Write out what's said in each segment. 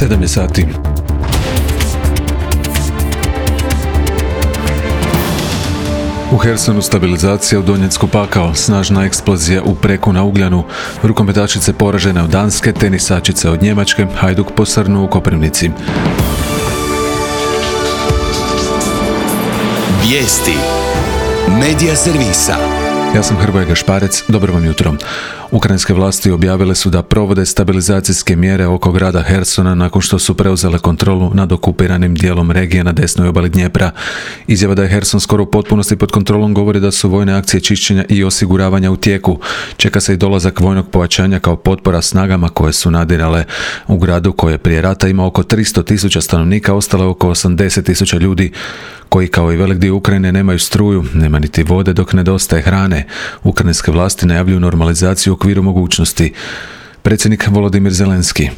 7 je sati. U Hersonu stabilizacija, u Donjecku pakao, snažna eksplozija u Preku na Ugljanu, rukometašice poražene od Danske, tenisačice od Njemačke, Hajduk posrnuo u Koprivnici. Vijesti Medija servisa. Ja sam Hrvoje Gašparec, dobro vam jutro. Ukrajinske vlasti objavile su da provode stabilizacijske mjere oko grada Hersona nakon što su preuzele kontrolu nad okupiranim dijelom regije na desnoj obali Dnjepra. Izjava da je Herson skoro u potpunosti pod kontrolom govori da su vojne akcije čišćenja i osiguravanja u tijeku. Čeka se i dolazak vojnog pojačanja kao potpora snagama koje su nadirale u gradu koje prije rata ima oko 300.000 stanovnika, ostalo je oko 80.000 ljudi koji kao i velik dio Ukrajine nemaju struju, nema niti vode dok nedostaje hrane. Ukrajinske vlasti najavljuju normalizaciju u okviru mogućnosti. Predsjednik Volodimir Zelenski.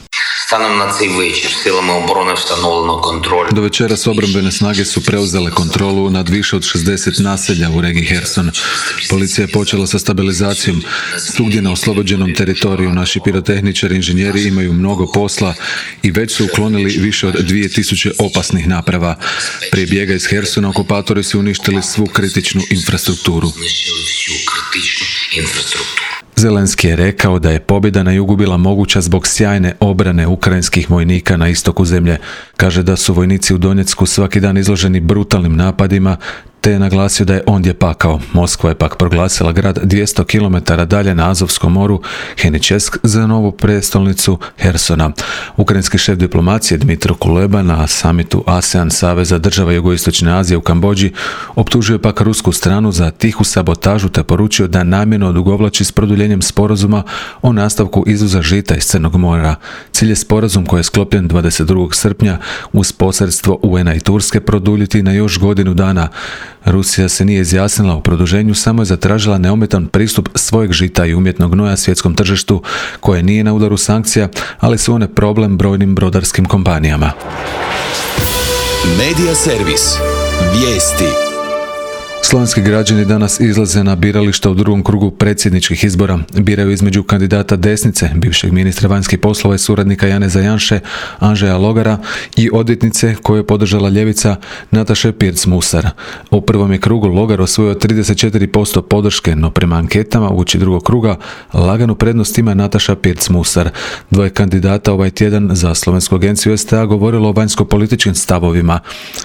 Станом на цей вечір силами оборони встановлено контроль. Do večeras obrambene snage su preuzele kontrolu nad više od 60 naselja u regiji Herson. Policija je počela sa stabilizacijom. Svugdje na oslobođenom teritoriju naši pirotehničari i inženjeri imaju mnogo posla i već su uklonili više od 2000 opasnih naprava. Prije bijega iz Hersona okupatori su uništili svu kritičnu infrastrukturu. Zelenski je rekao da je pobjeda na jugu bila moguća zbog sjajne obrane ukrajinskih vojnika na istoku zemlje. Kaže da su vojnici u Donjecku svaki dan izloženi brutalnim napadima, te je naglasio da je ondje pakao. Moskva je pak proglasila grad 200 km dalje na Azovskom moru, Heničesk, za novu prestolnicu Hersona. Ukrajinski šef diplomacije Dmitro Kuleba na samitu ASEAN Saveza država Jugoistočne Azije u Kambodži optužio pak rusku stranu za tihu sabotažu te poručio da namjerno odugovlači s produljenjem sporazuma o nastavku izvoza žita iz Crnog mora. Cilj je sporazum koji je sklopljen 22. srpnja uz posredstvo UN-a i Turske produljiti na još godinu dana. Rusija se nije izjasnila o produženju, samo je zatražila neometan pristup svojeg žita i umjetnog gnoja svjetskom tržištu koje nije na udaru sankcija, ali su one problem brojnim brodarskim kompanijama. Medija servis. Vijesti. Slovenski građani danas izlaze na birališta u drugom krugu predsjedničkih izbora. Biraju između kandidata desnice, bivšeg ministra vanjskih poslova i suradnika Janeza Janše, Andžeja Logara, i odvjetnice koju je podržala ljevica Nataše Pirc-Musar. U prvom je krugu Logar osvojio 34% podrške, no prema anketama uoči drugog kruga laganu prednost ima Nataša Pirc-Musar. Dvoje kandidata ovaj tjedan za Slovensku agenciju STA govorilo o vanjsko-političkim stavovima.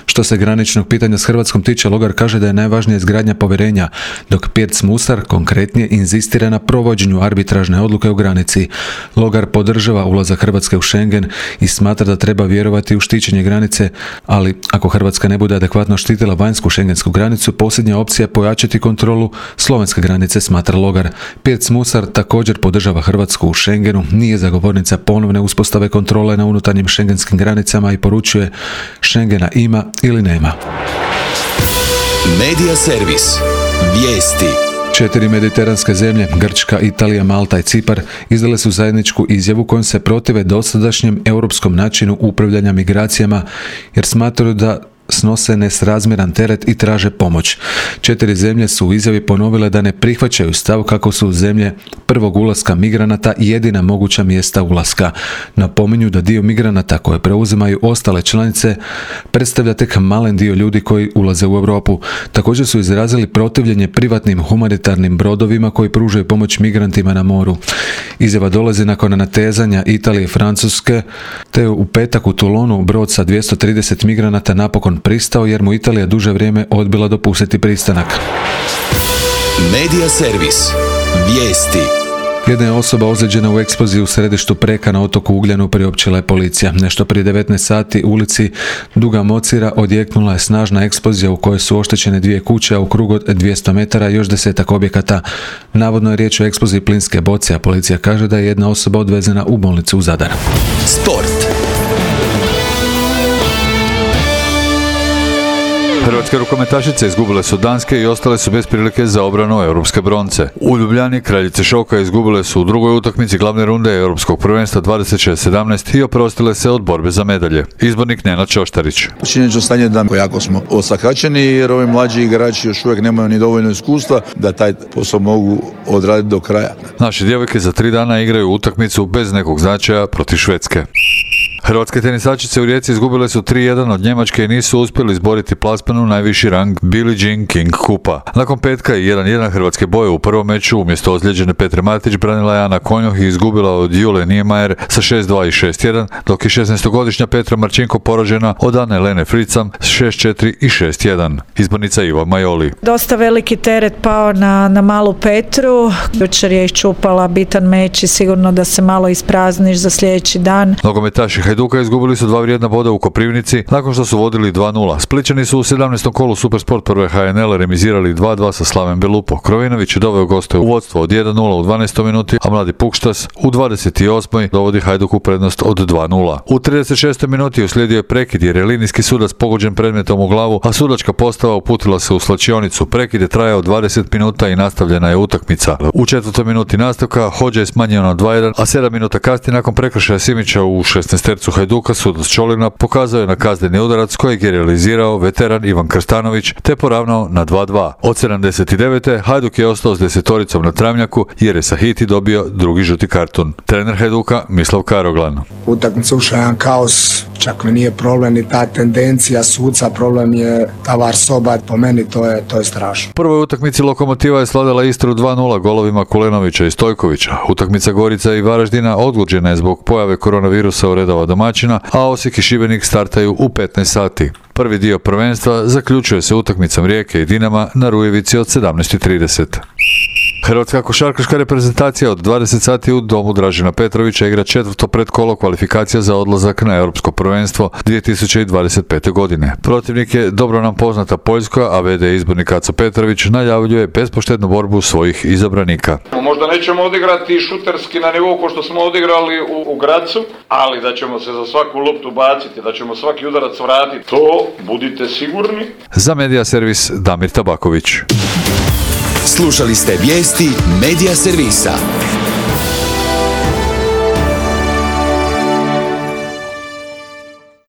Što se graničnog pitanja s Hrvatskom tiče, Logar kaže da je najvažnije izgradnja povjerenja, dok Pirc-Musar konkretnije inzistira na provođenju arbitražne odluke u granici. Logar podržava ulazak Hrvatske u Schengen i smatra da treba vjerovati u štićenje granice, ali ako Hrvatska ne bude adekvatno štitila vanjsku šengensku granicu, posljednja opcija je pojačati kontrolu slovenske granice, smatra Logar. Pirc-Musar također podržava Hrvatsku u Schengenu, nije zagovornica ponovne uspostave kontrole na unutarnjim šengenskim granicama i poručuje: Schengena ima ili nema. Medija servis. Vijesti. 4 mediteranske zemlje, Grčka, Italija, Malta i Cipar, izdale su zajedničku izjavu kojom se protive dosadašnjem europskom načinu upravljanja migracijama jer smatraju da snose nesrazmjeran teret i traže pomoć. 4 zemlje su u izjavi ponovile da ne prihvaćaju stav kako su zemlje prvog ulaska migranata jedina moguća mjesta ulaska. Napominju da dio migranata koje preuzimaju ostale članice predstavlja tek malen dio ljudi koji ulaze u Europu. Također su izrazili protivljenje privatnim humanitarnim brodovima koji pružaju pomoć migrantima na moru. Izjava dolazi nakon natezanja Italije i Francuske, te u petak u Toulonu brod sa 230 migranata napokon pristao jer mu Italija duže vrijeme odbila dopustiti pristanak. Medija servis. Vijesti. Jedna je osoba ozlijeđena u eksploziji u središtu Preka na otoku Ugljanu, priopćila je policija. Nešto prije 19 sati u ulici Duga Mocira odjeknula je snažna eksplozija u kojoj su oštećene 2 kuće, a u krugu od 200 metara još 10-ak objekata. Navodno je riječ o eksploziji plinske boce, a policija kaže da je jedna osoba odvezena u bolnicu u Zadar. Sport. Hrvatske rukometašice izgubile su Danske i ostale su bez prilike za obranu europske bronce. U Ljubljani kraljice šoka izgubile su u drugoj utakmici glavne runde europskog prvenstva 26-17 i oprostile se od borbe za medalje. Izbornik Nenad Čoštarić. Činjenično stanje da jako smo osakaćeni jer ovi mlađi igrači još uvijek nemaju ni dovoljno iskustva da taj posao mogu odraditi do kraja. Naše djevojke za 3 dana igraju utakmicu bez nekog značaja protiv Švedske. Hrvatske tenisačice u Rijeci izgubile su 3-1 od Njemačke i nisu uspjeli izboriti plasman u najviši rang Billie Jean King kupa. Nakon petka i 1-1 hrvatske boje u prvom meču umjesto ozlijeđene Petre Martić branila je Ana Konjoh i izgubila od Jule Niemeyer sa 6-2 i 6-1, dok je 16-godišnja Petra Marčinko poražena od Ane Lene Fricam s 6-4 i 6-1. Izbornica Iva Majoli. Dosta veliki teret pao na malu Petru. Jučer je iščupala bitan meč i sigurno da se malo isprazniš za sljedeći dan. Nogometaši Hajduka izgubili su 2 vrijedna boda u Koprivnici nakon što su vodili 2-0. Splićani su u 17. kolu Supersport prve HNL remizirali 2-2 sa Slaven Belupo. Krovinović je doveo goste u vodstvo od 1-0 u 12. minuti, a mladi Pukštas u 28. dovodi Hajduk u prednost od 2-0. U 36. minuti uslijedio je prekid jer je linijski sudac pogođen predmetom u glavu, a sudačka postava uputila se u slačionicu. Prekid je trajao 20 minuta i nastavljena je utakmica. U 4. minuti nastavka Hodža je smanjio na 2-1, a 7 minuta kasnije nakon prekršaja Simića u 16. Hajduka sudac Čolina pokazao je na kazneni udarac kojeg je realizirao veteran Ivan Krstanović te poravnao na 2-2. Od 79. Hajduk je ostao s desetoricom na travnjaku jer je Sahiti dobio drugi žuti karton. Trener Hajduka Mislav Karoglan. Utakmica ušla jedan kaos, čak mi nije problem ni ta tendencija suca, problem je ta VAR soba, po meni to je strašno. U prvoj utakmici Lokomotiva je slavila Istru 2-0 golovima Kulenovića i Stojkovića. Utakmica Gorica i Varaždina odgođena je zbog pojave koronavirusa u redova domaćina, a Osijek i Šibenik startaju u 15 sati. Prvi dio prvenstva zaključuje se utakmicom Rijeke i Dinama na Rujevici od 17:30. Hrvatska košarkaška reprezentacija od 20 sati u domu Dražena Petrovića igra 4. predkolo kvalifikacija za odlazak na Europsko prvenstvo 2025. godine. Protivnik je dobro nam poznata Poljska, a v.d. izbornik Aco Petrović najavljuje bespoštednu borbu svojih izabranika. Možda nećemo odigrati šuterski na nivou ko što smo odigrali u Gracu, ali da ćemo se za svaku loptu baciti, da ćemo svaki udarac vratiti, to budite sigurni. Za Medija servis Damir Tabaković. Slušali ste vijesti Medija servisa.